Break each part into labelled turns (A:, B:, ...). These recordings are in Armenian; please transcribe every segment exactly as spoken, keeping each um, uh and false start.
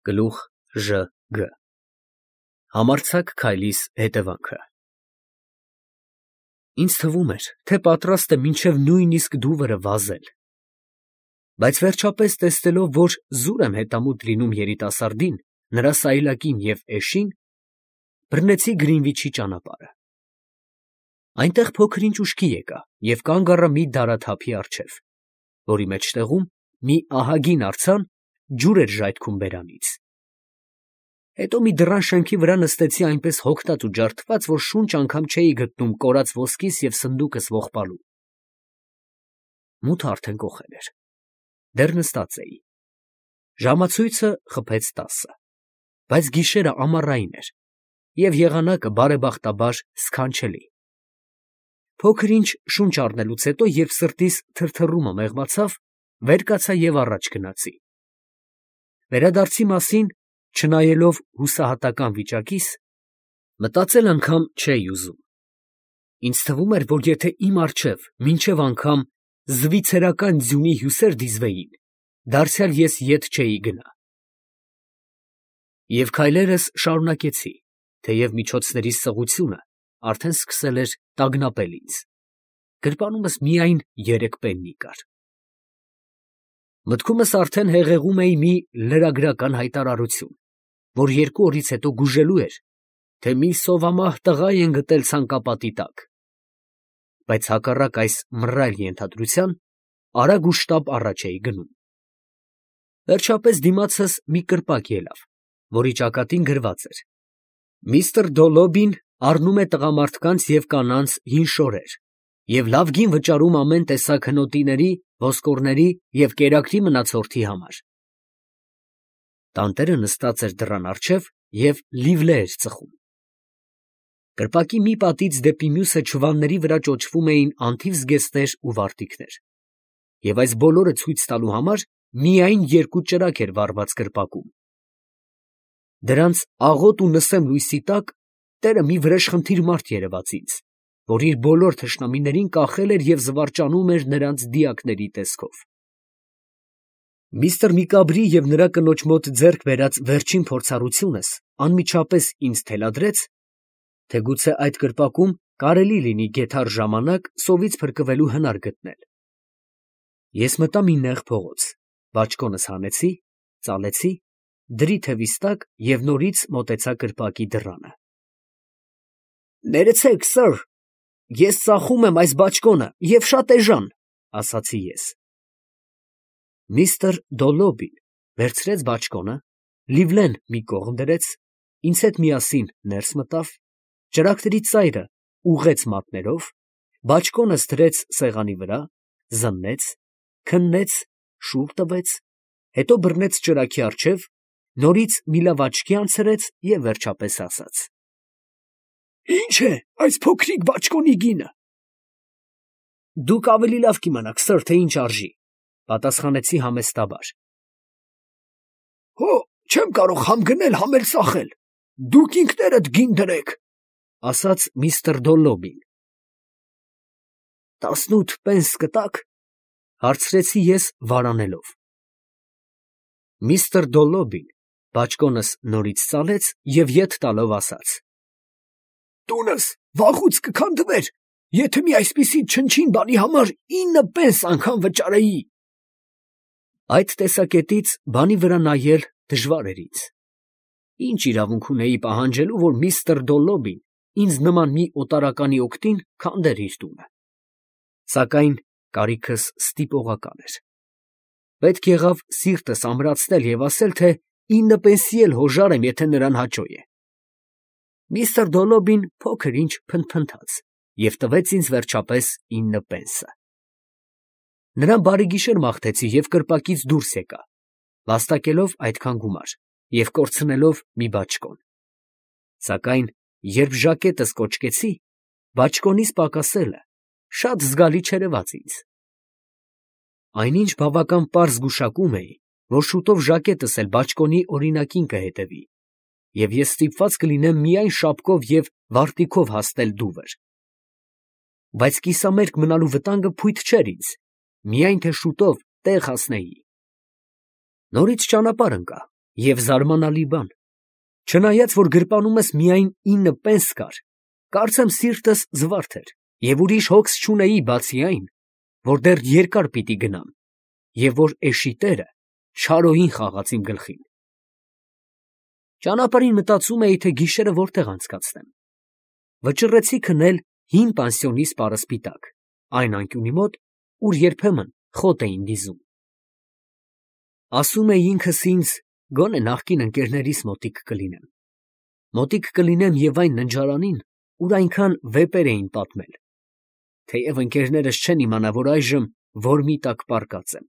A: Գլուխ Ժ Գ Համարձակ քայլիս հետևանքը Ինձ թվում էր, թե պատրաստ է մինչև նույնիսկ դուվրը վազել, բայց վերջապես տեսնելով, որ զուր եմ հետամուտ լինում երիտասարդին, նրա սայլակին և էշին, բռնեցի Գրինվիչի ճանապարհը։ Այնտեղ փոքր-ինչ ուշքի եկա և կանգ առա մի դարաթափի առջև, որի մեջտեղում մի ահագին արձան ջուր էր ժայթքում բերանից։ Հետո մի դռան շեմքի վրա նստեցի այնպես հոգնած ու ջարդված, որ շունչ անգամ չէի գտնում կորած ոսկիս և սնդուկս ողբալու։ Մութը արդեն կոխել էր։ Դեռ նստած էի։ Ժամացույցը խփեց տասը, բայց գիշերը ամառային էր, և եղանակը բարեբախտաբար սքանչելի։ Փոքր-ինչ շունչ առնելուց հետո, երբ սրտիս թրթռումը մեղմացավ, վեր կացա և առաջ գնացի։ Վերադարձի մասին, չնայելով հուսահատական վիճակիս, մտածել անգամ չէի ուզում։ Ինձ թվում էր, որ եթե իմ առջև մինչև անգամ զվիցերական ձյունի հյուսեր դիզվեին, դարձյալ ես ետ չէի գնա։ Եվ քայլերս շարունակեցի, թեև միջոցներիս սղությունը արդեն սկսել էր տագնապել ինձ. գրպանումս միայն երեք պեննի կար։ Մտքումս արդեն հեղեղում էի մի լրագրական հայտարարություն, որ երկու օրից հետո գուժելու էր, թե մի սովամահ տղա են գտել ցանկապատի տակ, բայց հակառակ այս մռայլ ենթադրության, արագ ու շտապ առաջ էի գնում։ Վերջապես դիմացս մի կրպակ ելավ, որի ճակատին գրված էր. «Միստր Դոլոբին առնում է տղամարդկանց և կանանց հին շորեր և լավ գին վճարում ամեն տեսակ հնոտիների, ոսկորների և կերակրի մնացորդի համար»։ Տանտերը նստած էր դռան առջև և լիվլե էր ծխում։ Կրպակի մի պատից դեպի մյուսը չվանների վրա ճոճվում էին անթիվ զգեստներ ու վարտիքներ, և այս բոլորը ցույց տալու համար միայն երկու ճրագ էր վառված կրպակում։ Դրանց աղոտ ու նսեմ լույսի տակ տերը մի վրեժխնդիր մարդ երևաց ինձ, որ իր բոլոր թշնամիներին կախել էր և զվարճանում էր նրանց դիակների տեսքով։ Միստր Միկաբրի և նրա կնոջ մոտ ձեռք բերած վերջին փորձառությունս անմիջապես ինձ թելադրեց, թե գուցե այդ կրպակում կարելի լինի գետառ ժամանակ սովից փրկվելու հնար գտնել։ Ես մտա մի նեղ փողոց, բաճկոնս հանեցի, ծալեցի, դրի թևիս տակ և նորից մոտեցա կրպակի դռանը։ «Ներեցեք, սըր, ես ծախում եմ այս բաճկոնը և շատ էժան», ֊ ասացի ես։ Միստր Դոլոբին վերցրեց բաճկոնը, լիվլեն մի կողմ դրեց, ինձ հետ միասին ներս մտավ, ճրագների ծայրը ուղղեց մատներով, բաճկոնս դրեց սեղանի վրա, զննեց, քննեց, շուռ տվեց, հետո բռնեց ճրագի առջև, նորից մի լավ աչքի անցրեց և վերջապես ասաց. «Ի՞նչ է այս փոքրիկ բաճկոնի գինը»։ «Դուք ավելի լավ կիմանաք, սըր, թե ինչ արժի», ֊ պատասխանեցի համեստաբար։ «Հո, չեմ կարող համ գնել, համ էլ ծախել, դուք ինքներդ գին դրեք», ֊ ասաց միստր Դոլոբին։ «Տասնութ պենս կտա՞ք», ֊ հարցրեցի ես վարանելով։ Միստր Դոլոբին բաճկոնս նորից ծալեց և ետ տալով ասաց. «Տունս վաղուց կքանդվեր, եթե մի այսպիսի չնչին բանի համար ինը պենս անգամ վճարեի»։ Այդ տեսակետից բանի վրա նայել դժվար էր ինձ։ Ինչ իրավունք ունեի պահանջելու, որ միստր Դոլոբին ինձ նման մի օտարականի օգտին քանդեր իր տունը։ Սակայն կարիքս ստիպողական էր։ Պետք եղավ սիրտս ամրացնել և ասել, թե ինը պենսի էլ հոժար եմ, եթե նրան հաճո է։ Միստր Դոլոբին փոքր-ինչ փնթփնթաց և տվեց ինձ վերջապես ինը պենսը։ Նրան բարեգիշեր մաղթեցի և կրպակից դուրս եկա, վաստակելով այդքան գումար և կորցնելով մի բաճկոն։ Սակայն երբ ժակետս կոճկեցի, բաճկոնիս պակասելը շատ զգալի չերևաց ինձ։ Այնինչ բավական պարզ գուշակում էի, որ շուտով ժակետս էլ բաճկոնի օրինակին կհետևի, և ես ստիպված կլինեմ միայն շապկով և վարտիքով հասնել դուվր։ Բայց կիսամերկ մնալու վտանգը փույթ չէր ինձ, միայն թե շուտով տեղ հասնեի։ Նորից ճանապարհ ընկա Եվ զարմանալի բան, չնայած որ գրպանումս միայն ինը պենս կար, կարծեմ սիրտս զվարթ էր, և ուրիշ հոգս չունեի բացի այն, որ դեռ երկար պիտի գնամ, և որ էշի տերը չարոյին խաղաց իմ գլխին։ Ճանապարհին մտածում էի, թե գիշերը որտեղ անցկացնեմ։ Վճռեցի քնել հին պանսիոնի սպառըսպիտակ, այն անկյունի մոտ, ուր երբեմն խոտ էին դիզում։ Ասում էի ինքս ինձ, գոնե նախկին ընկերներիս մոտիկ կլինեմ։ Մոտիկ կլինեմ և այն ննջարանին, ուր այնքան վեպեր էին պատմել, թեև ընկերներս չեն իմանա, որ այժմ որ մի տակ պառկած եմ,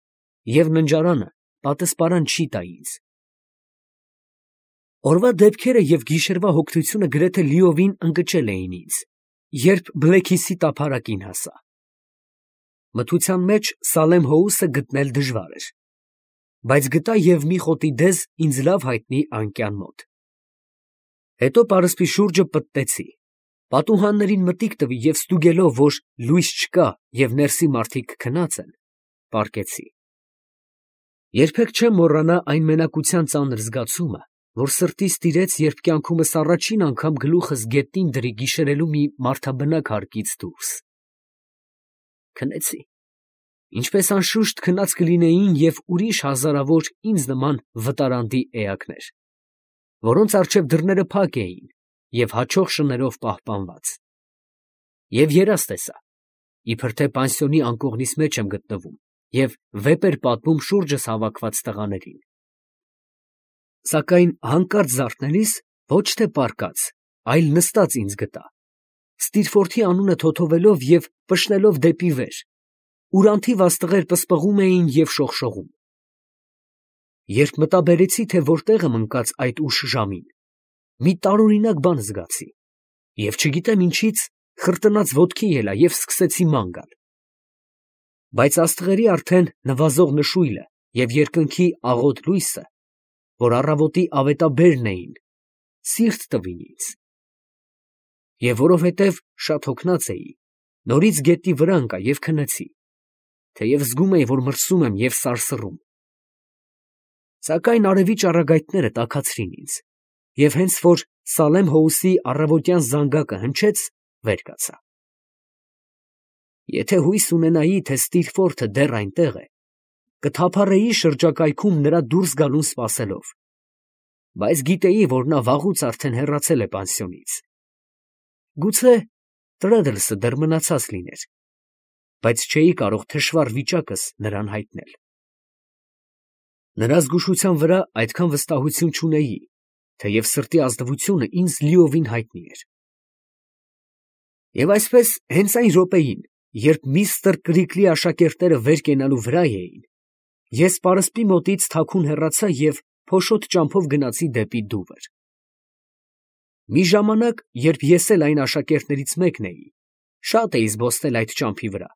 A: և ննջարանը պատսպարան չի տա ինձ։ Օրվա դեպքերը և գիշերվա հոգնությունը գրեթե լիովին ընկճել էին ինձ, երբ Բլեքիսի տափարակին հասա։ Մթության մեջ Սալեմ Հոուսը գտնել դժվար էր, բայց գտա և մի խոտի դեզ ինձ լավ հայտնի անկյան մոտ։ Հետո պարսպի շուրջը պտտեցի, պատուհաններին մտիկ տվի և ստուգելով, որ լույս չկա և ներսի մարդիկ քնած են, պառկեցի։ Երբեք չեմ մոռանա այն մենակության ծանր զգացումը, որ սրտիս տիրեց, երբ կյանքումս առաջին անգամ գլուխս գետնին դրի գիշերելու մի մարդաբնակ հարկից դուրս։ Քնեցի, ինչպես անշուշտ քնած կլինեին և ուրիշ հազարավոր ինձ նման վտարանդի էակներ, որոնց առջև դռները փակ էին և հաչող շներով պահպանված։ Եվ երազ տեսա, իբր թե պանսիոնի անկողնիս մեջ եմ գտնվում և վեպ էր պատմում շուրջս հավաքված տղաներին։ Սակայն հանկարծ զարթնելիս ոչ թե պառկած, այլ նստած ինձ գտա, Ստիրֆորթի անունը թոթովելով և պշնելով դեպի վեր, ուր անթիվ աստղեր պսպղում էին և շողշողում։ Երբ մտաբերեցի, թե որտեղ եմ ընկած այդ ուշ ժամին, մի տարօրինակ բան զգացի, և չգիտեմ ինչից խրտնած ոտքի ելա և սկսեցի ման գալ։ Բայց աստղերի արդեն նվազող նշույլը և երկնքի աղոտ լույսը, որ առավոտի ավետաբերն էին, սիրտ տվին ինձ։ Եվ որովհետև շատ հոգնած էի, նորից գետնի վրա ընկա և քնեցի, թեև զգում էի, որ մրսում եմ և սարսռում։ Սակայն արևի ճառագայթները տաքացրին ինձ, և հենց որ Սալեմ Հոուսի առավոտյան զանգակը հնչեց, վեր կացա։ Եթե հույս ունենայի, թե Ստիրֆորթը դեռ այնտեղ է, կթափառեի շրջակայքում նրա դուրս գալուն սպասելով, բայց գիտեի, որ նա վաղուց արդեն հեռացել է պանսիոնից։ Գուցե Տրեդլսը դեռ մնացած լիներ, բայց չէի կարող թշվառ վիճակս նրան հայտնել։ Նրա զգուշության վրա այդքան վստահություն չունեի, թեև սրտի ազնվությունը ինձ լիովին հայտնի էր։ Եվ այսպես հենց այն րոպեին, երբ միստր Կրիքլի աշակերտները վեր կենալու վրա էին, ես պարսպի մոտից թաքուն հեռացա և փոշոտ ճամփով գնացի դեպի դուվր։ Մի ժամանակ, երբ ես էլ այն աշակերտներից մեկն էի, շատ էի զբոսնել այդ ճամփի վրա,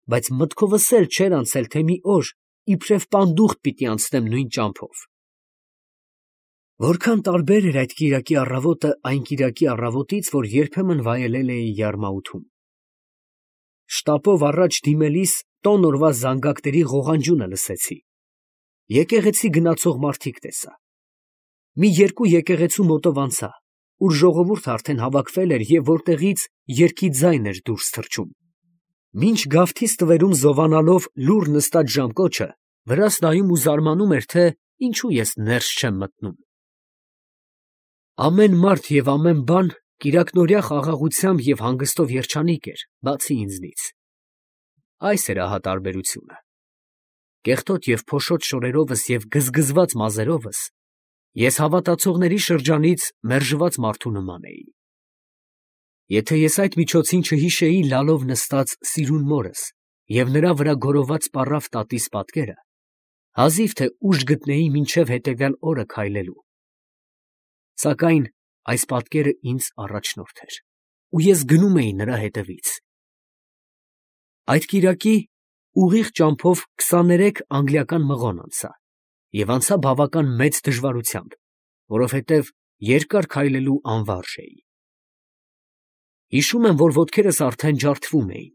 A: բայց մտքովս էլ չէր անցել, թե մի օր իբրև պանդուխտ պիտի անցնեմ նույն ճամփով։ Որքան տարբեր էր այդ կիրակի առավոտը այն կիրակի առավոտից, որ երբեմն վայելել էի Յարմաութում։ Շտապով առաջ դիմելիս տոն օրվա զանգակների ղողանջյունը լսեցի։ Եկեղեցի գնացող մարդիկ տեսա։ Մի երկու եկեղեցու մոտով անցա, ուր ժողովուրդը արդեն հավաքվել էր և որտեղից երգի ձայն էր դուրս թռչում։ Մինչ գավթի ստվերում զովանալով լուռ նստած ժամկոչը, վրաս նայում ու զարմանում էր, թե ինչու ես ներս չեմ մտնում։ Ամեն մարդ և ամեն բան կիրակնօրյա խաղաղությամբ և հանգստով երջանիկ էր, բացի ինձնից։ Այս էր ահա տարբերությունը։ Կեղտոտ և փոշոտ շորերովս և գզգզված մազերովս ես հավատացողների շրջանից մերժված մարդու նման էի։ Եթե ես այդ միջոցին չհիշեի լալով նստած սիրուն մորս և նրա վրա գորոված պառավ տատիս պատկերը, հազիվ թե ուժ գտնեի մինչև հետևյալ օրը քայլելու։ Սակայն այս պատկերը ինձ առաջնորդ էր, ու ես գնում էի նրա հետևից։ Այդ կիրակի ուղիղ ճամփով քսաներեք անգլիական մղոն անցա և անցա բավական մեծ դժվարությամբ, որովհետև երկար քայլելու անվարժ էի։ Հիշում եմ, որ ոտքերս արդեն ջարդվում էին,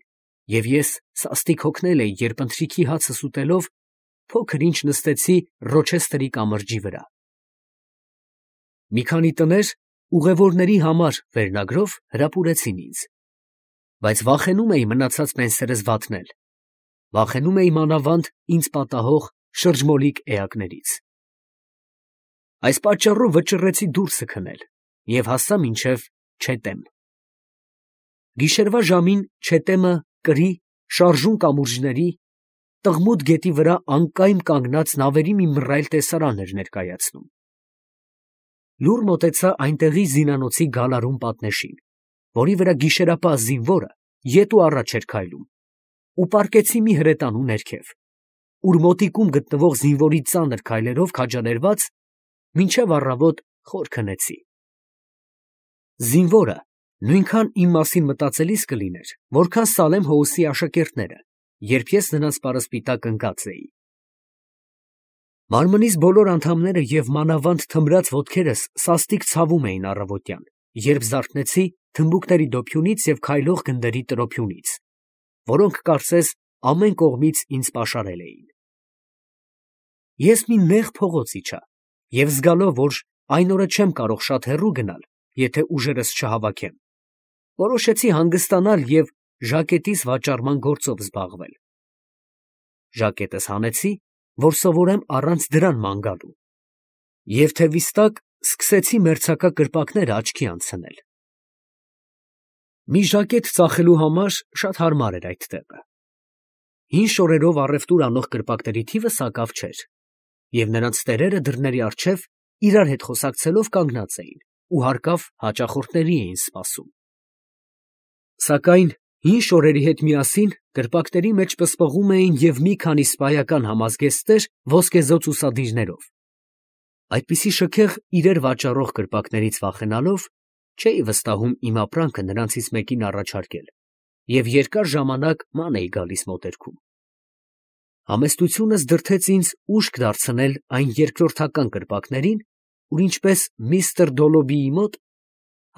A: և ես սաստիկ հոգնել էի, երբ ընթրիքի հացս ուտելով փոքր ինչ նստեցի Ռոչեսթերի կամրջի վրա, Մի քանի տներ ուղևորների համար վերնագրով հրապուրեցին ինձ, բայց վախենում էի մնացած պենսերս վատնել, վախենում էի մանավանդ ինձ պատահող շրջմոլիկ էակներից։ Այս պատճառով վճռեցի դուրսը քնել և հասա մինչև Չետեմ։ Գիշերվա ժամին Չետեմը կրի շարժուն կամուրջների, Տղմուդ գետի վրա անկայմ կանգնած նավերի մի մռայլ տեսարան էր ներկայացնում։ Լուռ մոտեցա այնտեղի զինանոցի գալարուն պատնեշին, որի վրա գիշերապահ զինվորը ետ ու առաջ էր քայլում, ու պառկեցի մի հրետանու ներքև, ուր մոտիկում գտնվող զինվորի ծանր քայլերով քաջալերված մինչև առավոտ խոր քնեցի։ Զինվորը նույնքան իմ մասին մտածելիս կլիներ, որքան Սալեմ Հոուսի աշակերտները, երբ ես նրանց պարսպիտակ ընկած էի։ Մարմնիս բոլոր անդամները և մանավանդ թմրած ոտքերս սաստիկ ցավում էին առավոտյան, երբ զարթնեցի թմբուկների դոփյունից և քայլող գնդերի տրոփյունից, որոնք կարծես ամեն կողմից ինձ պաշարել էին։ Ես մի նեղ փողոց իջա և զգալով, որ այն օրը չեմ կարող շատ հեռու գնալ, եթե ուժերս չհավաքեմ, որոշեցի հանգստանալ և ժակետիս վաճառման գործով զբաղվել։ Ժակետս հանեցի, որ սովորեմ առանց դրան ման գալու, և թևիս տակ սկսեցի մերձակա կրպակները աչքի անցնել։ Մի ժակետ ծախելու համար շատ հարմար էր այդ տեղը։ Հին շորերով առևտուր անող կրպակների թիվը սակավ չէր, և նրանց տերերը դռների առջև իրար հետ խոսակցելով կանգնած էին ու հարկավ հաճախորդների էին սպասում։ Սակայն հին շորերի հետ միասին կրպակների մեջ պսպղում էին և մի քանի սպայական համազգեստներ ոսկեզօծ ուսադիրներով։ Այդպիսի շքեղ իրեր վաճառող կրպակներից վախենալով, չէի վստահում իմ ապրանքը նրանցից մեկին առաջարկել և երկար ժամանակ ման էի գալիս մոտերքում։ Համեստությունս դրդեց ինձ ուշք դարձնել այն երկրորդական կրպակներին, ուր ինչպես միստր Դոլոբիի մոտ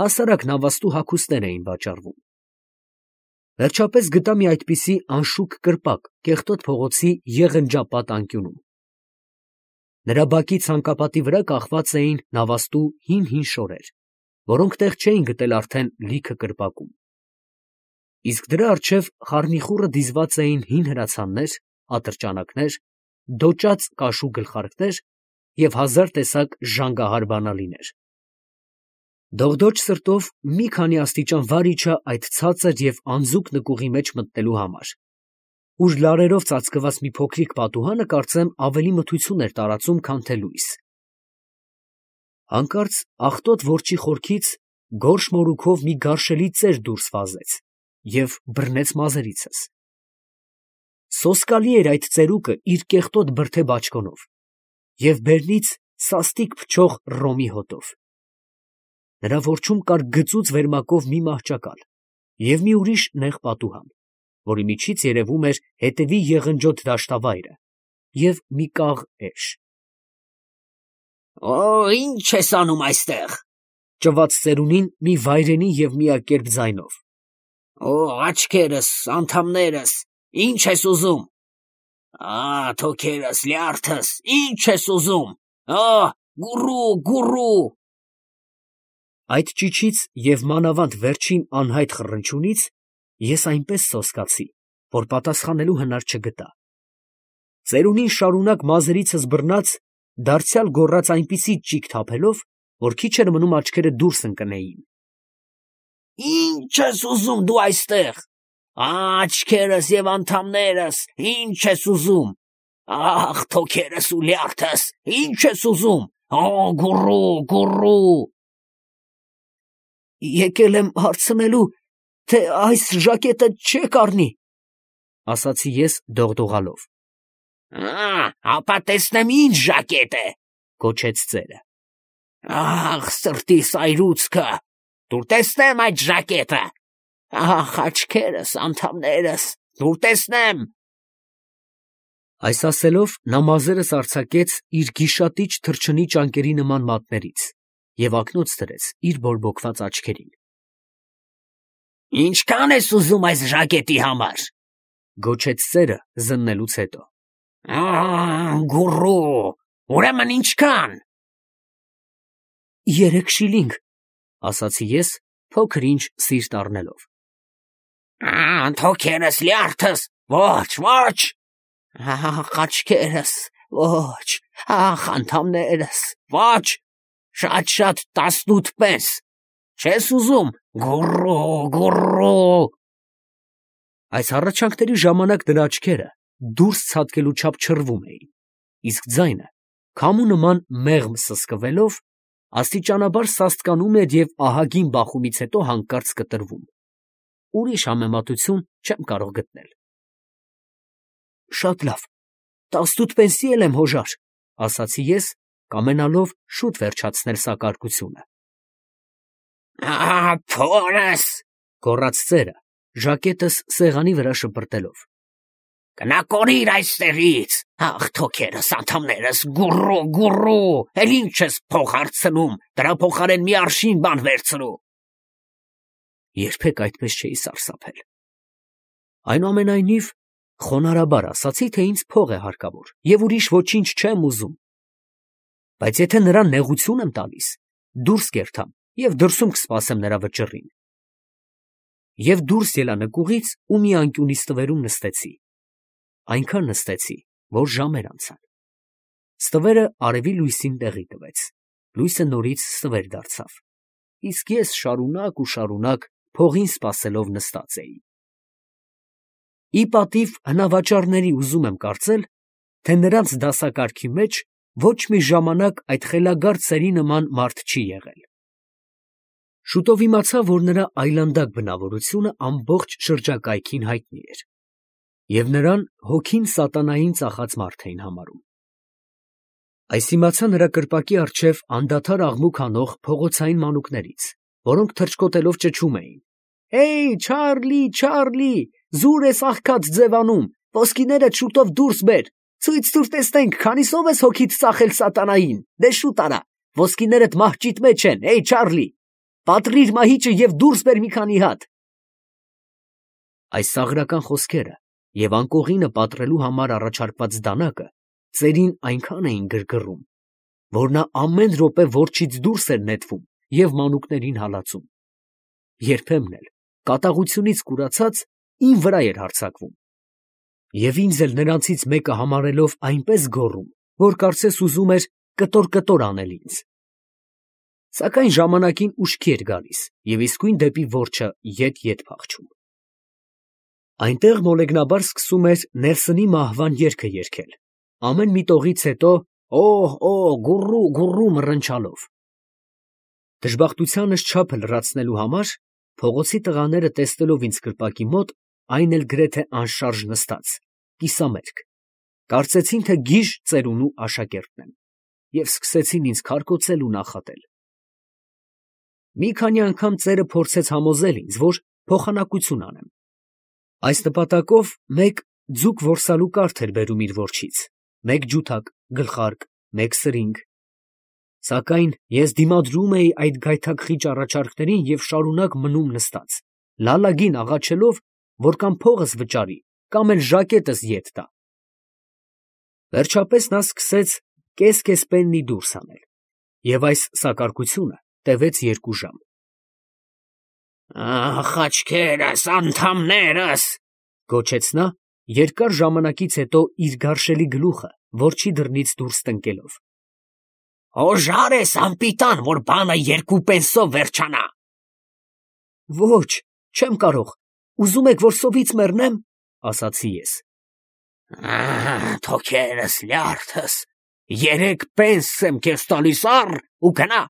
A: հասարակ նավաստու հագուստներ էին վաճառվում։ Վերջապես գտա մի այդպիսի անշուք կրպակ Կեղտոտ փողոցի եղնջապատ անկյունում։ Նրա բակի ցանկապատի վրա կախված էին նավաստու հին֊հին շորեր, որոնք տեղ չէին գտել արդեն լիքը կրպակում։ Իսկ դրա առջև խառնիխուռը դիզված էին հին հրացաններ, ատրճանակներ, դոճած կաշու գլխարկներ և հազար տեսակ ժանգահար բանալիներ։ Դողդոջ սրտով մի քանի աստիճան վար իջա այդ ցածր և անձուկ նկուղի մեջ մտնելու համար, ուր լարերով ծածկված մի փոքրիկ պատուհանը կարծեմ ավելի մթություն էր տարածում, քան թե լույս։ Հանկարծ աղտոտ որջի խորքից գորշ մորուքով մի գարշելի ծեր դուրս վազեց և բռնեց մազերիցս։ Սոսկալի էր այդ ծերուկը իր կեղտոտ բրդե բաճկոնով և բերնից սաստիկ փչող ռոմի հոտով։ Նրա որջում կար գծուծ վերմակով մի մահճակալ և մի ուրիշ նեղ պատուհան, որի միջից երևում էր հետևի եղնջոտ դաշտավայրը և մի կաղ էշ։ ֊ Օ՜, ի՞նչ ես անում այստեղ, ֊ ճվաց ծերունին մի վայրենի և միակերպ ձայնով։ ֊ Օ՜, աչքերս, անդամներս, ի՞նչ ես ուզում։ ֊ Ա՜, թոքերս, լյարդս, ի՞նչ ես ուզում։ Ա՜, գուռու, գուռու։ Այդ ճիչից և մանավանդ վերջին անհայտ խռնչյունից ես այնպես սոսկացի, որ պատասխանելու հնար չգտա։ Ծերունին շարունակ մազերիցս բռնած, դարձյալ գոռաց այնպիսի ճիգ թափելով, որ քիչ էր մնում աչքերը դուրս ընկնեին։ ֊ Ի՞նչ ես ուզում դու այստեղ։ Աչքերս և անդամներս, ի՞նչ ես ուզում։ Ա՜խ, թոքերս ու լյարդս, ի՞նչ ես ուզում։ Օ՜, գուռու, գուռու։ Եկել եմ հարցնելու, թե այս ժակետը չե՞ք առնի, ֊ ասացի ես դողդողալով։ ֊ Ա՜, ապա տեսնեմ ինչ ժակետ է, ֊ գոչեց ծերը։ ֊ Ա՜խ, սրտիս այրուցքը, տուր տեսնեմ այդ ժակետը։ Ա՜խ, աչքերս, անդամներս, տուր տեսնեմ։ Այս ասելով նա մազերս արձակեց իր գիշատիչ թռչնի ճանկերի նման մատներից և ակնոց դրեց իր բորբոքված աչքերին։ ֊ Ինչքա՞ն ես ուզում այս ժակետի համար, ֊ գոչեց ծերը զննելուց հետո։ ֊ Ա՜, գուռու, ուրեմն ինչքա՞ն։ Երեք շիլինգ, ասացի ես, փոքր ինչ սիրտ առնելով։
B: Թոքերս, լյարդս, ոչ, ոչ, աչքերս, ոչ, ախ, անդամներս, ոչ, շատ-շատ տասնութ պենս, չես ուզում, գուռու, գուռու։
A: Այս հառաչանքների ժամանակ նրա աչքերը դուրս ցատկելու չափ չռվում էին, իսկ ձայնը, քամու նման մեղմ սսկվելով, աստիճանաբար սաստկանում էր և ահագին բախումից հետո հանկարծ կտրվում։ Ուրիշ համեմատություն չեմ կարող գտնել։ Շատ լավ, տասնութ պենսի էլ եմ, հոժար, ասացի ես, կամենալով շուտ վերջացնել սակարկությունը։
B: Փորս,
A: գոռաց ծերը, ժակետս սեղանի վրա շպրտելով։
B: Գնա կորիր այստեղից, ախ, թոքերս, անդամներս, գուռու, գուռու, էլ ինչ ես փող հարցնում, դրա փոխարեն մի արշին բան վերցրու։
A: Երբեք այդպես չէի սարսափել։ Այնուամենայնիվ, խոնարհաբար ասացի, թե ինձ փող է հարկավոր և ուրիշ ոչինչ չեմ ուզում։ Բայց եթե նրան նեղություն եմ տալիս, դուրս կերթամ և դրսում կսպասեմ նրա վճռին։ Եվ դուրս ելա նկուղից ու մի անկյունի ստվերում նստեցի։ Այնքան նստեցի, որ ժամեր անցան։ Ստվերը արևի լույսին տեղի տվեց, լույսը նորից ստվեր դարձավ, իսկ ես շարունակ ու շարունակ փողին սպասելով նստած էի։ Ի պատիվ հնավաճառների ուզում եմ կարծել, թե նրանց դասակարգի մեջ ոչ մի ժամանակ այդ խելագար ծերի նման մարդ չի եղել։ Շուտով իմացա, որ նրա այլանդակ բնավորությունը ամբողջ շրջակայքին հայտնի էր, և նրան հոգին սատանային ծախած մարդ էին համարում։ Այս իմացա նրա կրպակի առջև անդադար աղմուկ անող փողոցային մանուկներից, որոնք թռչկոտելով ճչում էին. «Հեյ, Չարլի, Չարլի, զուր ես աղքատ ձևանում, ոսկիներդ շուտով դուրս բեր, ցույց տուր տեսնենք, քանիսով ես հոգիդ ծախել սատանային, դե շուտ արա, ոսկիներդ մահճիտ մեջ են, հեյ, Չարլի, պատռիր մահիճը և դուրս բեր մի քանի հատ»։ Այս սաղրական խոսքերը և անկողինը պատռելու համար առաջարկված դանակը ծերին այնքան էին գրգռում, որ նա ամեն րոպե որջից դուրս էր նետվում և մանուկներին հալածում։ Երբեմն էլ, կատաղությունից կուրացած, իմ վրա էր հարձակվում, և ինձ էլ նրանցից մեկը համարելով այնպես գոռում, որ կարծես ուզում էր կտոր֊կտոր անել ինձ։ Սակայն ժամանակին ուշքի էր գալիս և իսկույն դեպի որջը ետ֊ետ փախչում։ Այնտեղ մոլեգնաբար սկսում էր Նելսոնի մահվան երգը երգել, ամեն մի տողից հետո օհ, օհ, գուռու, գուռու մռնչալով։ Դժբախտությանս չափը լրացնելու համար, փողոցի տղաները տեսնելով ինձ կրպակի մոտ, այն էլ գրեթե անշարժ նստած, կիսամերկ, կարծեցին, թե գիժ ծերունու աշակերտն եմ, և սկսեցին ինձ քարկոծել ու նախատել։ Մի քանի անգամ ծերը փորձեց համոզել ինձ, որ փոխանակություն անեմ։ Այս նպատակով մեկ ձուկ որսալու կարթ էր բերում իր որջից, մեկ ջութակ, գլխարկ, մեկ սրինգ։ Սակայն ես դիմադրում էի այդ գայթակղիչ առաջարկներին և շարունակ մնում նստած, լալագին աղաչելով, որ կամ փողս վճարի, կամ էլ ժակետս ետ տա։ Վերջապես նա սկսեց կես֊կես պեննի դուրս հանել, և այս սակարկությունը տևեց երկու ժամ։
B: Ախ, աչքերս, անդամներս,
A: գոչեց նա, երկար ժամանակից հետո իր գարշելի գլուխը որջի դռնից դուրս տնկելով։
B: Հոժար ես անպիտան, որ բանը երկու պենսով վերջանա։
A: Ոչ, չեմ կարող, ուզում եք, որ սովից մեռնեմ, ասացի ես։
B: Թոքերս, լյարդս, երեք պենս եմ քեզ տալիս առ ու գնա։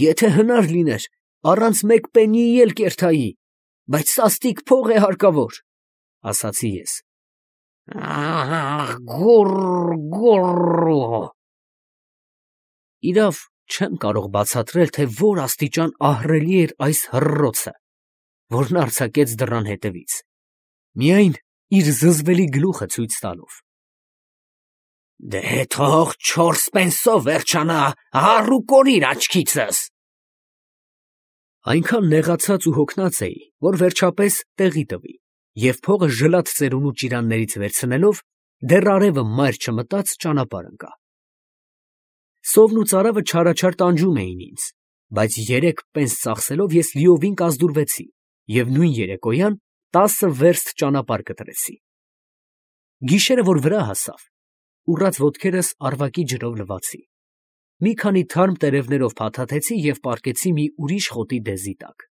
A: Եթե հնար լիներ, առանց մեկ պեննիի էլ կերթայի, բայց սաստիկ փող է հարկավոր, ասացի ես։
B: Ահ, գուռ, գուռ։
A: Իրավ, չեմ կարող բացատրել, թե որ աստիճան ահռելի էր այս հռռոցը, որն արձակեց դռան հետևից, միայն իր զզվելի գլուխը ցույց տալով։
B: Դե թող չորս պենսով վերջանա, առ ու կորիր աչքիցս։
A: Այնքան նեղացած ու հոգնած էի, որ վերջապես տեղի տվի, և փողը ժլատ ծերունու ճիրաններից վերցնելով, դեռ արևը մայր չմտած ճանապարհ ընկա։ Սովն ու ծարավը չարաչար տանջում էին ինձ, բայց երեք պենս ծախսելով ես լիովին կազդուրվեցի և նույն երեկոյան տասը վերստ ճանապարհ կտրեցի։ Գիշերը, որ վրա հասավ, ուռած ոտքերս առվակի ջրով լվացի, մի քանի թարմ տերևներով փաթաթեցի և պառկեցի մի ուրիշ խոտի դեզի տակ։